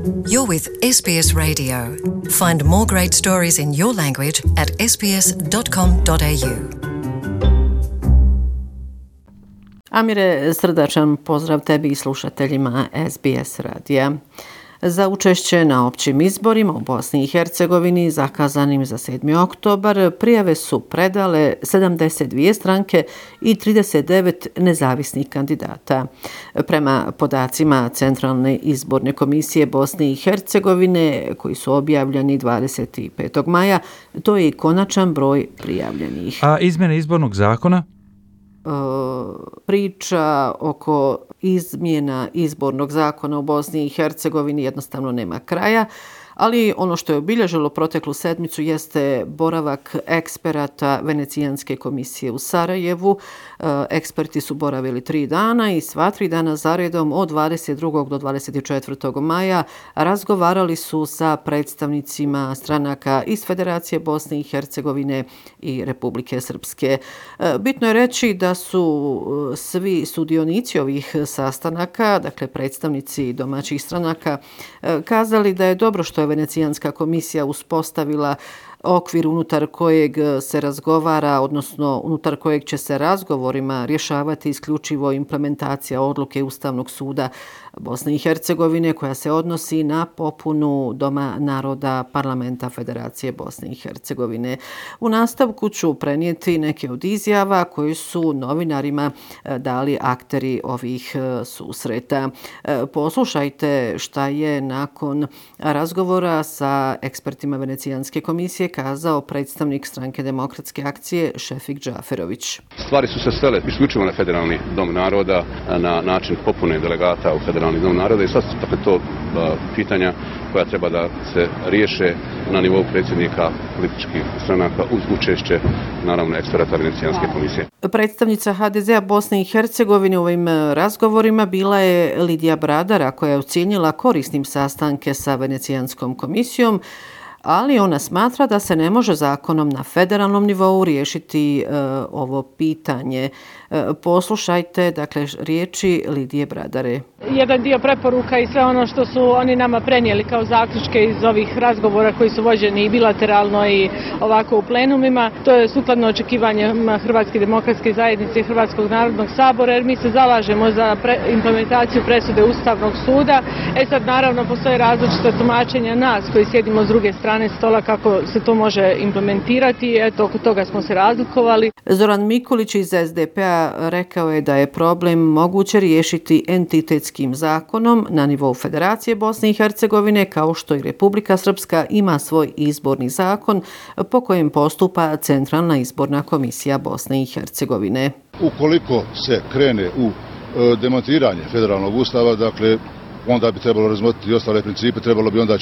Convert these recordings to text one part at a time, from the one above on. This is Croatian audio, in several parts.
You're with SBS Radio. Find more great stories in your language at sbs.com.au. Amire, srdačan pozdrav tebi i slušateljima SBS radija. Za učešće na općim izborima u Bosni i Hercegovini zakazanim za 7. oktobar prijave su predale 72 stranke i 39 nezavisnih kandidata. Prema podacima Centralne izborne komisije Bosne i Hercegovine, koji su objavljeni 25. maja, to je i konačan broj prijavljenih. A izmjene izbornog zakona? Priča oko izmjena izbornog zakona u Bosni i Hercegovini jednostavno nema kraja, ali ono što je obilježilo proteklu sedmicu jeste boravak eksperata Venecijanske komisije u Sarajevu. Eksperti su boravili 3 dana i sva 3 dana zaredom od 22. do 24. maja razgovarali su sa predstavnicima stranaka iz Federacije Bosne i Hercegovine i Republike Srpske. Bitno je reći da su svi sudionici ovih sastanaka, dakle predstavnici domaćih stranaka, kazali da je dobro što je Venecijanska komisija uspostavila okvir unutar kojeg se razgovara, odnosno unutar kojeg će se razgovorima rješavati isključivo implementacija odluke Ustavnog suda Bosne i Hercegovine koja se odnosi na popunu Doma naroda Parlamenta Federacije Bosne i Hercegovine. U nastavku ću prenijeti neke od izjava koji su novinarima dali akteri ovih susreta. Poslušajte šta je nakon razgovora sa ekspertima Venecijanske komisije kazao predstavnik Stranke demokratske akcije Šefik Džaferović. Stvari su se svele isključivo na Federalni dom naroda, na način popune delegata u Federalni dom naroda i sad su dakle to pitanja koja treba da se riješe na nivou predsjednika političkih stranaka uz učešće naravno eksperata Venecijanske komisije. Predstavnica HDZ-a Bosne i Hercegovine u ovim razgovorima bila je Lidija Bradara koja je ocijenila korisnim sastanke sa Venecijanskom komisijom, ali ona smatra da se ne može zakonom na federalnom nivou riješiti ovo pitanje. Poslušajte, dakle, riječi Lidije Bradare. Jedan dio preporuka i sve ono što su oni nama prenijeli kao zaključke iz ovih razgovora koji su vođeni i bilateralno i ovako u plenumima, to je sukladno očekivanjima Hrvatske demokratske zajednice i Hrvatskog narodnog sabora, jer mi se zalažemo za implementaciju presude Ustavnog suda. Sad naravno postoje različite tumačenja nas koji sjedimo s druge strane stola kako se to može implementirati. Eto, oko toga smo se razlikovali. Zoran Mikulić iz SDP-a rekao je da je problem moguće riješiti entitetskim zakonom na nivou Federacije Bosne i Hercegovine, kao što i Republika Srpska ima svoj izborni zakon po kojem postupa Centralna izborna komisija Bosne i Hercegovine. Ukoliko se krene u demontiranje federalnog ustava, dakle, onda bi trebalo razmotriti i ostale principe, trebalo bi onda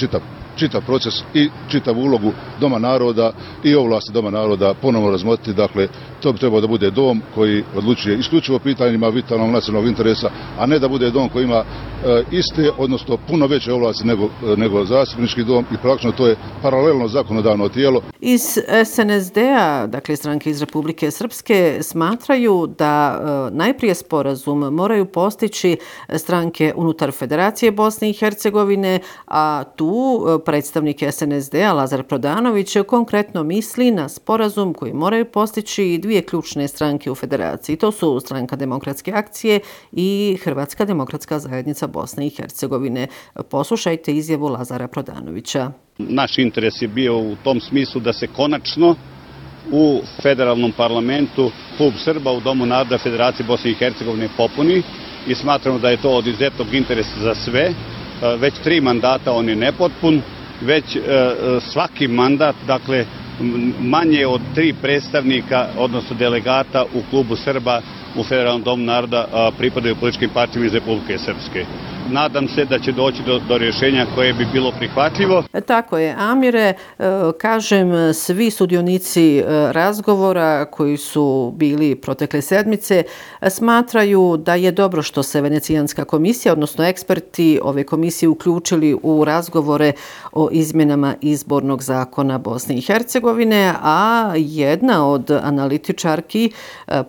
čitav proces i čitavu ulogu Doma naroda i ovlasti Doma naroda ponovno razmotriti. Dakle, to bi trebalo da bude dom koji odlučuje isključivo pitanjima vitalnog nacionalnog interesa, a ne da bude dom koji ima iste, odnosno puno veće ovlasti nego zastupnički dom i praktično to je paralelno zakonodavno tijelo. Iz SNSD-a, dakle stranke iz Republike Srpske, smatraju da najprije sporazum moraju postići stranke unutar Federacije Bosne i Hercegovine, a tu predstavnik SNSD-a Lazar Prodanović konkretno misli na sporazum koji moraju postići dvije ključne stranke u Federaciji. To su Stranka demokratske akcije i Hrvatska demokratska zajednica Bosne i Hercegovine. Poslušajte izjavu Lazara Prodanovića. Naš interes je bio u tom smislu da se konačno u federalnom parlamentu klub Srba u Domu naroda Federacije Bosne i Hercegovine popuni i smatramo da je to od izuzetnog interesa za sve. Već 3 mandata on je nepotpun, već svaki mandat, dakle manje od 3 predstavnika, odnosno delegata u klubu Srba u Federalnom domu naroda pripadaju političkim partijama iz Republike Srpske. Nadam se da će doći do rješenja koje bi bilo prihvatljivo. Tako je, Amire. Kažem, svi sudionici razgovora koji su bili protekle sedmice smatraju da je dobro što se Venecijanska komisija, odnosno eksperti ove komisije uključili u razgovore o izmjenama izbornog zakona Bosne i Hercegovine, a jedna od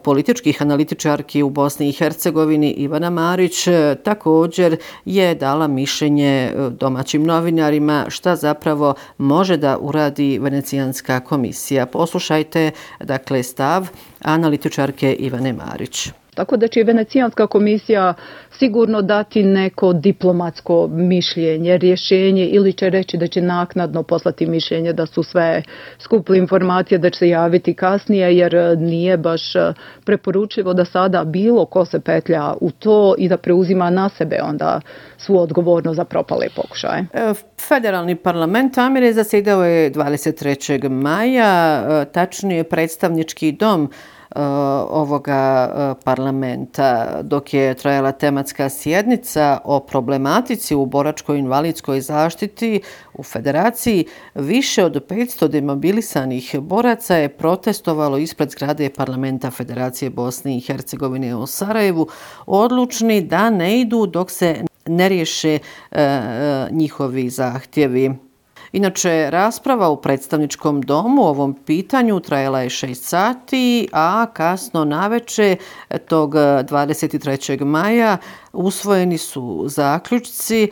političkih analitičarki u Bosni i Hercegovini, Ivana Marić, također je dala mišljenje domaćim novinarima šta zapravo može da uradi Venecijanska komisija. Poslušajte, dakle, stav analitičarke Ivane Marić. Tako da će Venecijanska komisija sigurno dati neko diplomatsko mišljenje, rješenje ili će reći da će naknadno poslati mišljenje da su sve skuple informacije, da će se javiti kasnije, jer nije baš preporučivo da sada bilo ko se petlja u to i da preuzima na sebe onda svu odgovornost za propale pokušaje. Federalni parlament Amire zasjedao je 23. maja, tačnije predstavnički dom ovoga parlamenta, dok je trajala tematska sjednica o problematici u boračko-invalidskoj zaštiti u Federaciji. Više od 500 demobilisanih boraca je protestovalo ispred zgrade parlamenta Federacije Bosne i Hercegovine u Sarajevu, odlučni da ne idu dok se ne riješe njihovi zahtjevi. Inače, rasprava u predstavničkom domu o ovom pitanju trajala je 6 sati, a kasno naveče tog 23. maja usvojeni su zaključci.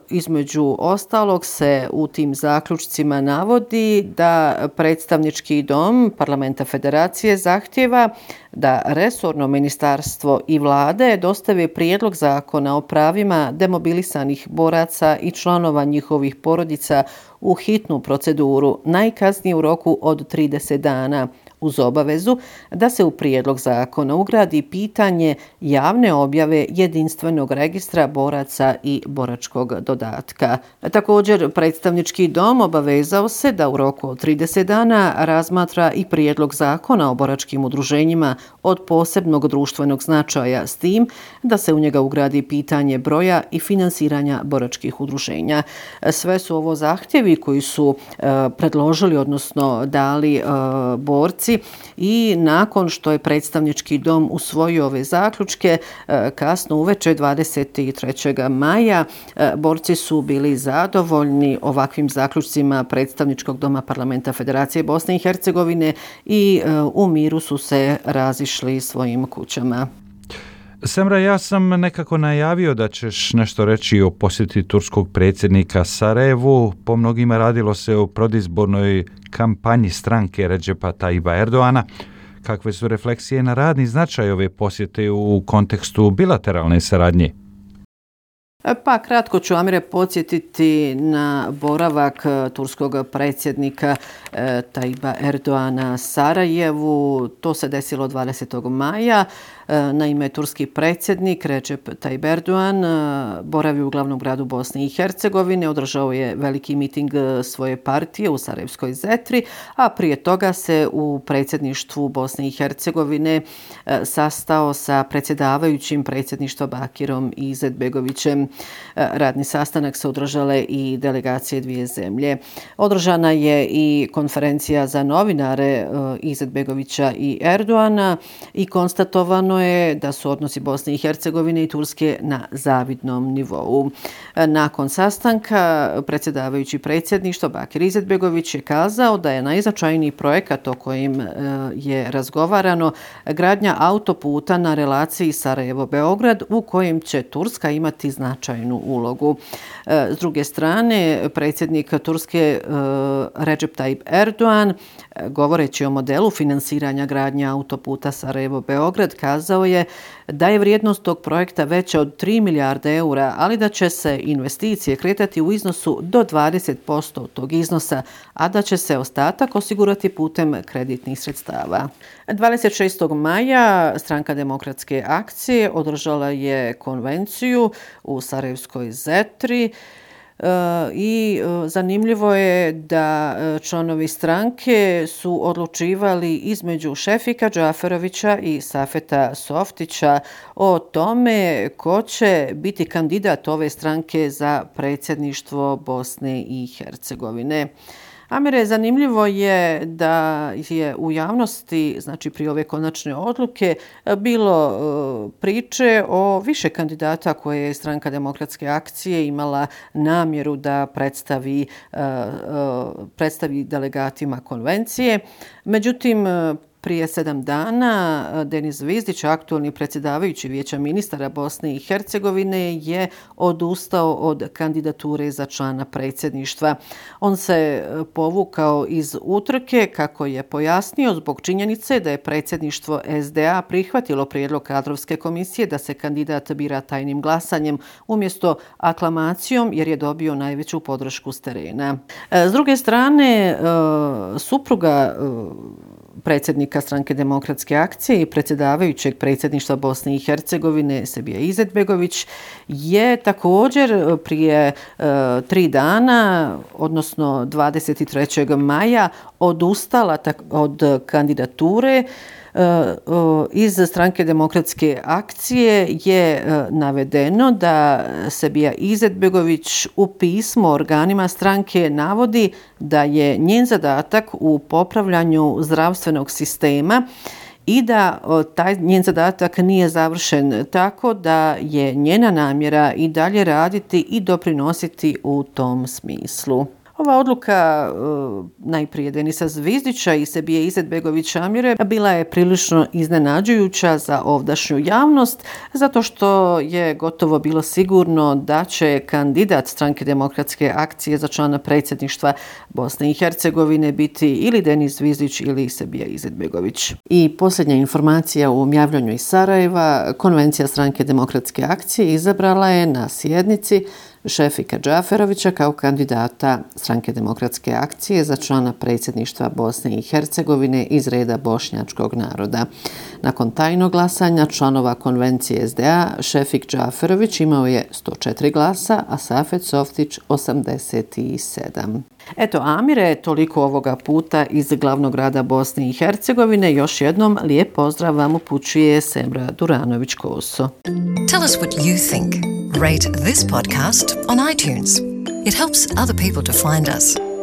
Između ostalog se u tim zaključcima navodi da predstavnički dom parlamenta Federacije zahtjeva da resorno ministarstvo i vlade dostave prijedlog zakona o pravima demobilisanih boraca i članova njihovih porodica u hitnu proceduru, najkasnije u roku od 30 dana, uz obavezu da se u prijedlog zakona ugradi pitanje javne objave jedinstvenog registra boraca i boračkog dodatka. Također, predstavnički dom obavezao se da u roku od 30 dana razmatra i prijedlog zakona o boračkim udruženjima od posebnog društvenog značaja, s tim da se u njega ugradi pitanje broja i finansiranja boračkih udruženja. Sve su ovo zahtjevi koji su predložili, odnosno dali borci, i nakon što je predstavnički dom usvojio ove zaključke, kasno uveče 23. maja, borci su bili zadovoljni ovakvim zaključcima predstavničkog doma parlamenta Federacije Bosne i Hercegovine i u miru su se razišli svojim kućama. Semra, ja sam nekako najavio da ćeš nešto reći o posjeti turskog predsjednika Sarajevu. Po mnogima radilo se o predizbornoj kampanji stranke Recepa Tayyipa Erdoana. Kakve su refleksije na radni značaj ove posjete u kontekstu bilateralne saradnje? Pa kratko ću, Amire, podsjetiti na boravak turskog predsjednika Tayyipa Erdoana Sarajevu. To se desilo 20. maja. Naime, turski predsjednik Recep Tayyip Erdogan boravi u glavnom gradu Bosne i Hercegovine, održao je veliki miting svoje partije u Sarajevskoj Zetri, a prije toga se u predsjedništvu Bosne i Hercegovine sastao sa predsjedavajućim predsjedništva Bakirom Izetbegovićem. Radni sastanak se održale i delegacije dvije zemlje. Održana je i konferencija za novinare Izetbegovića i Erdoana i konstatovano je da su odnosi Bosne i Hercegovine i Turske na zavidnom nivou. Nakon sastanka predsjedavajući predsjedništvo Bakir Izetbegović je kazao da je najznačajniji projekat o kojim je razgovarano gradnja autoputa na relaciji Sarajevo-Beograd, u kojem će Turska imati značajnu ulogu. S druge strane, predsjednik Turske Recep Tayyip Erdogan, govoreći o modelu finansiranja gradnje autoputa Sarajevo-Beograd, kazao je da je vrijednost tog projekta veća od 3 milijarde eura, ali da će se investicije kretati u iznosu do 20% od tog iznosa, a da će se ostatak osigurati putem kreditnih sredstava. 26. maja Stranka demokratske akcije održala je konvenciju u Sarajevskoj Zetri i zanimljivo je da članovi stranke su odlučivali između Šefika Džaferovića i Safeta Softića o tome ko će biti kandidat ove stranke za predsjedništvo Bosne i Hercegovine. Amire, zanimljivo je da je u javnosti, znači prije ove konačne odluke, bilo priče o više kandidata koje je Stranka demokratske akcije imala namjeru da predstavi delegatima konvencije. Međutim, Prije 7 dana Denis Zvizdić, aktualni predsjedavajući Vijeća ministara Bosne i Hercegovine, je odustao od kandidature za člana predsjedništva. On se povukao iz utrke, kako je pojasnio, zbog činjenice da je predsjedništvo SDA prihvatilo prijedlog kadrovske komisije da se kandidat bira tajnim glasanjem umjesto aklamacijom, jer je dobio najveću podršku s terena. S druge strane, supruga predsjednika Stranke demokratske akcije i predsjedavajućeg predsjedništva Bosne i Hercegovine Sebija Izetbegović je također prije 3 dana, odnosno 23. maja, odustala od kandidature. Iz Stranke demokratske akcije je navedeno da Sebija Izetbegović u pismu organima stranke navodi da je njen zadatak u popravljanju zdravstvenog sistema i da taj njen zadatak nije završen, tako da je njena namjera i dalje raditi i doprinositi u tom smislu. Ova odluka najprije Denisa Zvizdića i Sebije Izetbegovića Amire bila je prilično iznenađujuća za ovdašnju javnost, zato što je gotovo bilo sigurno da će kandidat Stranke demokratske akcije za člana predsjedništva Bosne i Hercegovine biti ili Denis Zvizdić ili Sebija Izetbegović. I posljednja informacija u javljanju iz Sarajeva: Konvencija Stranke demokratske akcije izabrala je na sjednici Šefika Džaferovića kao kandidata Stranke demokratske akcije za člana predsjedništva Bosne i Hercegovine iz reda bošnjačkog naroda. Nakon tajnog glasanja članova konvencije SDA, Šefik Džaferović imao je 104 glasa, a Safet Softić 87. Eto, Amire, toliko ovoga puta iz glavnog grada Bosne i Hercegovine. Još jednom lijep pozdrav vam upućuje Semra Duranović-Koso. Tell us what you think. Rate this podcast on iTunes. It helps other people to find us.